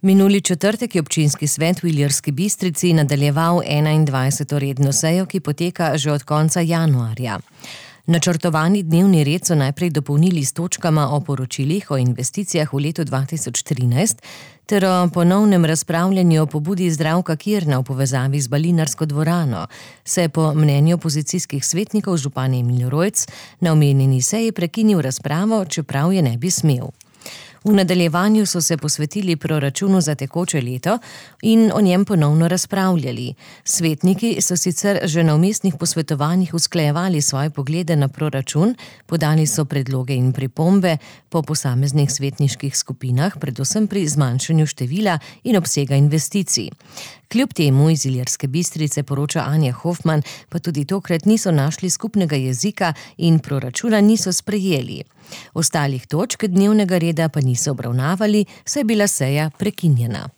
Minuli četrtek je občinski svet v Ilirski Bistrici nadaljeval 21. redno sejo, ki poteka že od konca januarja. Načrtovani dnevni red so najprej dopolnili s točkama o poročilih o investicijah v letu 2013 ter o ponovnem razpravljanju o pobudi Zdravka Kirna v povezavi z Balinarsko dvorano, se po mnenju opozicijskih svetnikov župan Emil Rojc na omenjeni seji prekinil razpravo, čeprav je ne bi smel. V nadaljevanju so se posvetili proračunu za tekoče leto in o njem ponovno razpravljali. Svetniki so sicer že na vmesnih posvetovanjih usklajevali svoje poglede na proračun, podali so predloge in pripombe po posameznih svetniških skupinah, predvsem pri zmanjšanju števila in obsega investicij. Kljub temu iz Ilirske Bistrice, poroča Anja Hofman, pa tudi tokrat niso našli skupnega jezika in proračuna niso sprejeli. Ostalih točk dnevnega reda pa niso obravnavali, saj je bila seja prekinjena.